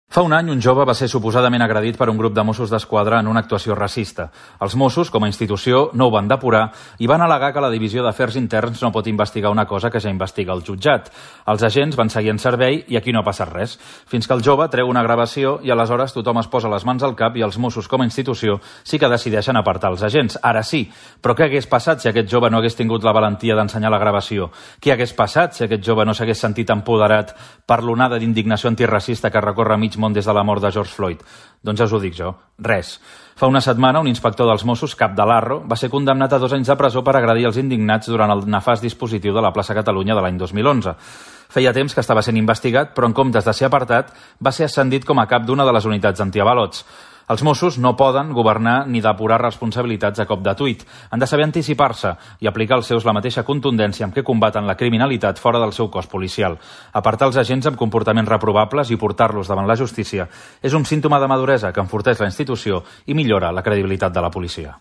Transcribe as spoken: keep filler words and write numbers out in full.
Fa un any, un jove va ser suposadament agredit per un grup de Mossos d'Esquadra en una actuació racista. Els Mossos, com a institució, no ho van depurar i van al·legar que la Divisió d'Afers Interns no pot investigar una cosa que ja investiga el jutjat. Els agents van seguir en servei i aquí no ha passat res. Fins que el jove treu una gravació i aleshores tothom es posa les mans al cap i els Mossos, com a institució, sí que decideixen apartar els agents. Ara sí, però què hagués passat si aquest jove no hagués tingut la valentia d'ensenyar la gravació? Què hagués passat si aquest jove no s'hagués sentit empoderat per l'onada d'indignació antiracista que recorre mig món des de la mort de George Floyd? Doncs ja us ho dic jo, res. Fa una setmana, un inspector dels Mossos, cap de l'Arro, va ser condemnat a dos anys de presó per agredir els indignats durant el nefast dispositiu de la plaça Catalunya de l'any dos mil onze. Feia temps que estava sent investigat, però en comptes de ser apartat, va ser ascendit com a cap d'una de les unitats antiavalots. Els Mossos no poden governar ni depurar responsabilitats a cop de tuit. Han de saber anticipar-se i aplicar als seus la mateixa contundència amb què combaten la criminalitat fora del seu cos policial. Apartar els agents amb comportaments reprovables i portar-los davant la justícia és un símptoma de maduresa que enforteix la institució i millora la credibilitat de la policia.